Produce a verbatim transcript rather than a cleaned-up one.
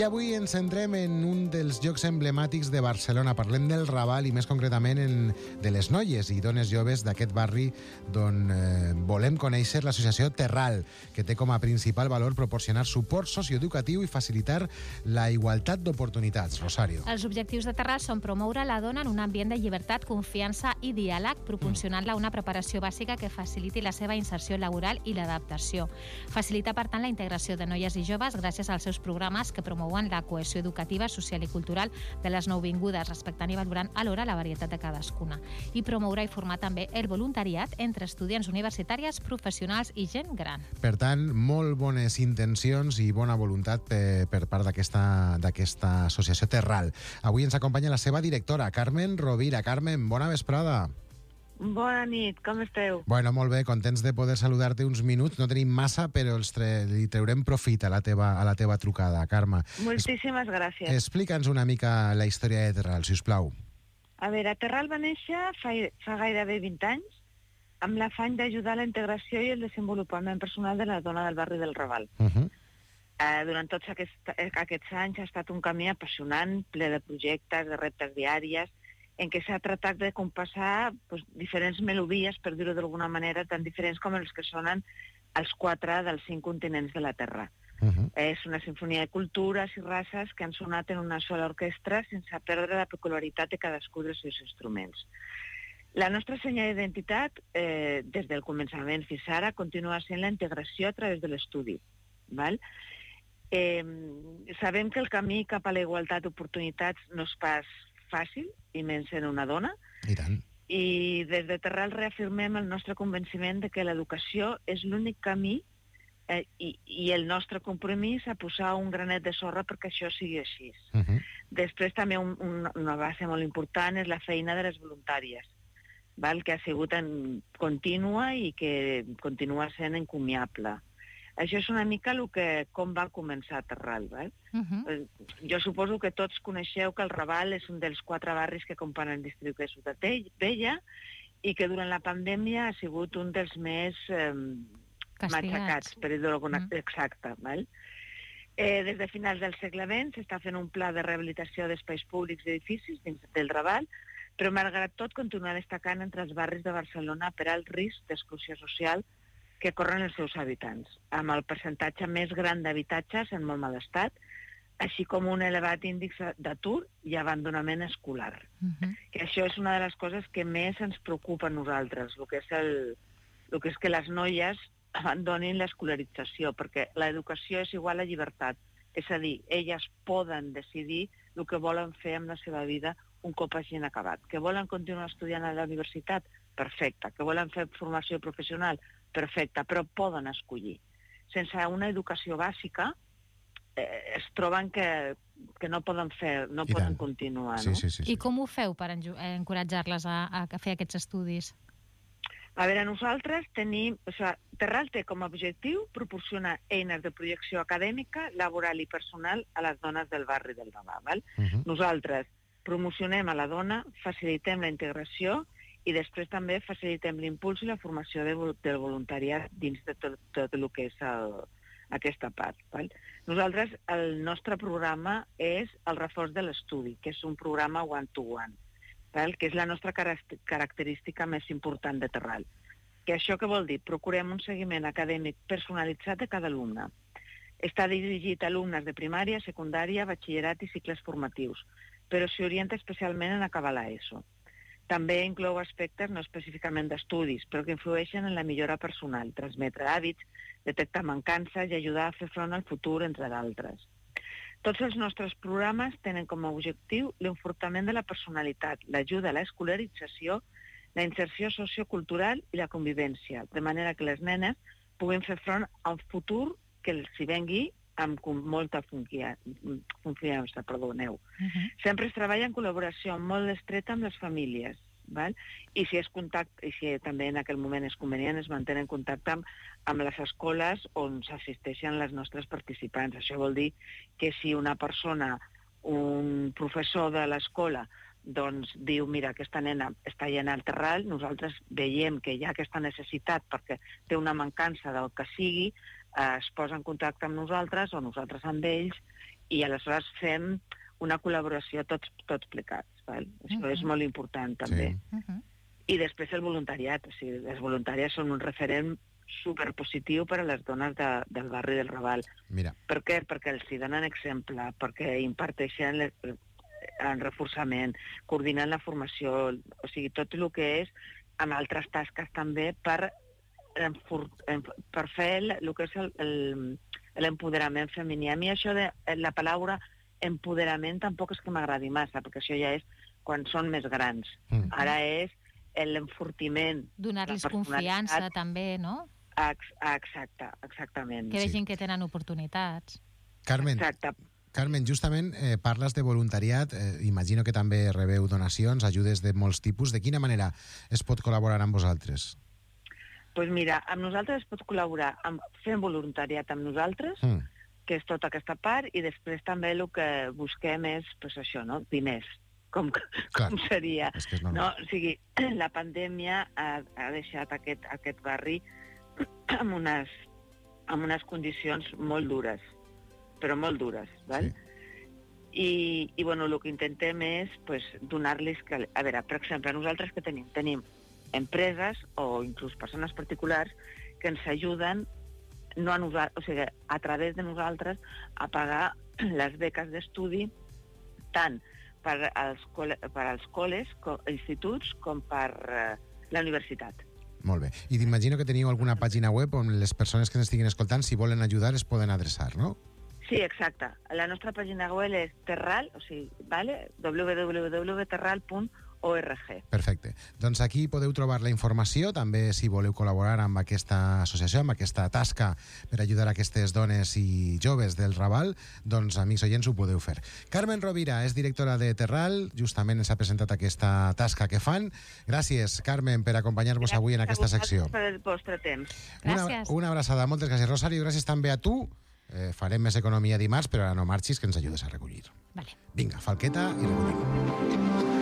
I avui ens centrem en un dels llocs emblemàtics de Barcelona. Parlem del Raval i més concretament en, de les noies i dones joves d'aquest barri d'on eh, volem conèixer l'associació Terral, que té com a principal valor proporcionar suport socioeducatiu i facilitar la igualtat d'oportunitats. Rosario. Els objectius de Terral són promoure la dona en un ambient de llibertat, confiança i diàleg, proporcionant-la una preparació bàsica que faciliti la seva inserció laboral i l'adaptació. Facilita, per tant, la integració de noies i joves gràcies als seus programes que promouen la cohesió educativa, social i cultural de les nouvingudes, respectant i valorant alhora la varietat de cadascuna. I promoure i formar també el voluntariat entre estudiants universitàries, professionals i gent gran. Per tant, molt bones intencions i bona voluntat per, per part d'aquesta d'aquesta associació Terral. Avui ens acompanya la seva directora, Carmen Rovira. Carmen, bona vesprada. Bona nit, com esteu? Bueno, molt bé, contents de poder saludar-te uns minuts. No tenim massa, però els tre... li treurem profit a la teva, a la teva trucada, Carme. Moltíssimes es... gràcies. Explica'ns una mica la història de Terral, si us plau. A veure, Terral va néixer fa, fa gairebé vint anys amb l'afany d'ajudar a la integració i el desenvolupament personal de la dona del barri del Raval. Uh -huh. eh, durant tots aquest, aquests anys ha estat un camí apassionant, ple de projectes, de reptes diaris, en què s'ha tratat de compassar pues, diferents melodies, per dir-ho d'alguna manera, tan diferents com els que sonen els quatre dels cinc continents de la Terra. Uh-huh. És una sinfonia de cultures i races que han sonat en una sola orquestra sense perdre la peculiaritat de cadascun dels seus instruments. La nostra senya d'identitat, eh, des del començament fins ara, continua sent la integració a través de l'estudi. Val? Eh, sabem que el camí cap a la igualtat d'oportunitats no és pas fàcil, i menys en una dona. I tant. I des de Terral reafirmem el nostre convenciment de que l'educació és l'únic camí eh, i, i el nostre compromís a posar un granet de sorra perquè això sigui així. Uh -huh. Després també un, un, una base molt important és la feina de les voluntàries, val? Que ha sigut en contínua i que continua sent encomiable. Això és una mica el que, com va començar Terral. Val? Uh-huh. Jo suposo que tots coneixeu que el Raval és un dels quatre barris que componen el districte de Ciutat Vella i que durant la pandèmia ha sigut un dels més eh, matxacats, per dir-ho alguna uh-huh. exacta. Val? Eh, des de finals del segle vint s'està fent un pla de rehabilitació d'espais públics i edificis dins del Raval, però malgrat tot continua destacant entre els barris de Barcelona per alt risc d'exclusió social que corren els seus habitants, amb el percentatge més gran d'habitatges en molt mal estat, així com un elevat índex d'atur i abandonament escolar. Uh-huh. Que això és una de les coses que més ens preocupa a nosaltres, el que és, el, el que, és que les noies abandonin l'escolarització, perquè l'educació és igual a llibertat. És a dir, elles poden decidir el que volen fer amb la seva vida un cop hagin acabat. Que volen continuar estudiant a la universitat? Perfecte. Que volen fer formació professional? Perfecte, però poden escollir. Sense una educació bàsica eh, es troben que, que no poden fer, no I poden tant. continuar. Sí, no? sí, sí, sí. I com ho feu per encoratjar-les a, a fer aquests estudis? A veure, nosaltres tenim... O sigui, Terral té com a objectiu proporcionar eines de projecció acadèmica, laboral i personal a les dones del barri del Raval. Uh-huh. Nosaltres promocionem a la dona, facilitem la integració i després també facilitem l'impuls i la formació de, del voluntariat dins de tot, tot el que és el, aquesta part. Val? Nosaltres, el nostre programa és el reforç de l'estudi, que és un programa one-to-one, val? Que és la nostra característica més important de Terral. Que això què vol dir? Procurem un seguiment acadèmic personalitzat de cada alumne. Està dirigit a alumnes de primària, secundària, batxillerat i cicles formatius, però s'hi orienta especialment en acabar l'ESO. També inclou aspectes no específicament d'estudis, però que influeixen en la millora personal, transmetre hàbits, detectar mancances i ajudar a fer front al futur, entre d'altres. Tots els nostres programes tenen com a objectiu l'enfortament de la personalitat, l'ajuda a l'escolarització, la inserció sociocultural i la convivència, de manera que les nenes puguin fer front a un futur que els hi vengui amb molta confiança, perdoneu. Uh-huh. Sempre es treballa en col·laboració molt estreta amb les famílies, val? I si és contacte, i si també en aquell moment és convenient, es mantén en contacte amb, amb les escoles on s'assisteixen les nostres participants. Això vol dir que si una persona, un professor de l'escola, doncs diu, mira, aquesta nena està allà al Terral, nosaltres veiem que hi ha aquesta necessitat perquè té una mancança del que sigui, eh, es posa en contacte amb nosaltres o nosaltres amb ells i aleshores fem una col·laboració tots, tots plegats. Val? Això uh-huh. és molt important, també. Sí. Uh-huh. I després el voluntariat. O sigui, les voluntàries són un referent superpositiu per a les dones de, del barri del Raval. Mira. Per què? Perquè els hi donen exemple, perquè imparteixen en reforçament, coordinant la formació, o sigui, tot el que és amb altres tasques també per, per fer el, el que és l'empoderament femení. A mi això de la paraula empoderament tampoc és que m'agradi massa, perquè això ja és quan són més grans. Mm. Ara és l'enfortiment. Donar-los confiança també, no? Exacte, exactament. Que vegin sí. que tenen oportunitats. Carmen, Exacte. Carmen, justament eh, parles de voluntariat, eh, imagino que també rebeu donacions, ajudes de molts tipus. De quina manera es pot col·laborar amb vosaltres? Doncs pues mira, amb nosaltres es pot col·laborar amb, fent voluntariat amb nosaltres, mm. que és tota aquesta part, i després també el que busquem és, pues això, no? Diners. Com, com seria. És que és no? O sigui, la pandèmia ha, ha deixat aquest, aquest barri amb unes, amb unes condicions molt dures, però molt dures, val? Sí. I, i bueno, el que intentem és pues, donar-los... Que, a veure, per exemple, nosaltres que tenim? Tenim empreses o inclús persones particulars que ens ajuden no a, nosaltres, o sigui, a través de nosaltres a pagar les beques d'estudi tant per als, per als col·les, instituts, com per uh, la universitat. Molt bé. I t'imagino que teniu alguna pàgina web on les persones que ens estiguin escoltant, si volen ajudar, es poden adreçar, no? Sí, exacte. La nostra pàgina web és Terral, o sigui, vale? w w w punt terral punt org. Perfecte. Doncs aquí podeu trobar la informació, també si voleu col·laborar amb aquesta associació, amb aquesta tasca per ajudar aquestes dones i joves del Raval, doncs, amics oients, ho podeu fer. Carmen Rovira és directora de Terral, justament ens ha presentat aquesta tasca que fan. Gràcies, Carmen, per acompanyar-vos avui en aquesta secció. Gràcies per el vostre temps. Gràcies. Una, una abraçada. Moltes gràcies, Rosario. Gràcies també a tu. Eh, farem més economia dimarts, però ara no marxis, que ens ajudes a recollir. Vale. Vinga, falqueta i recollim.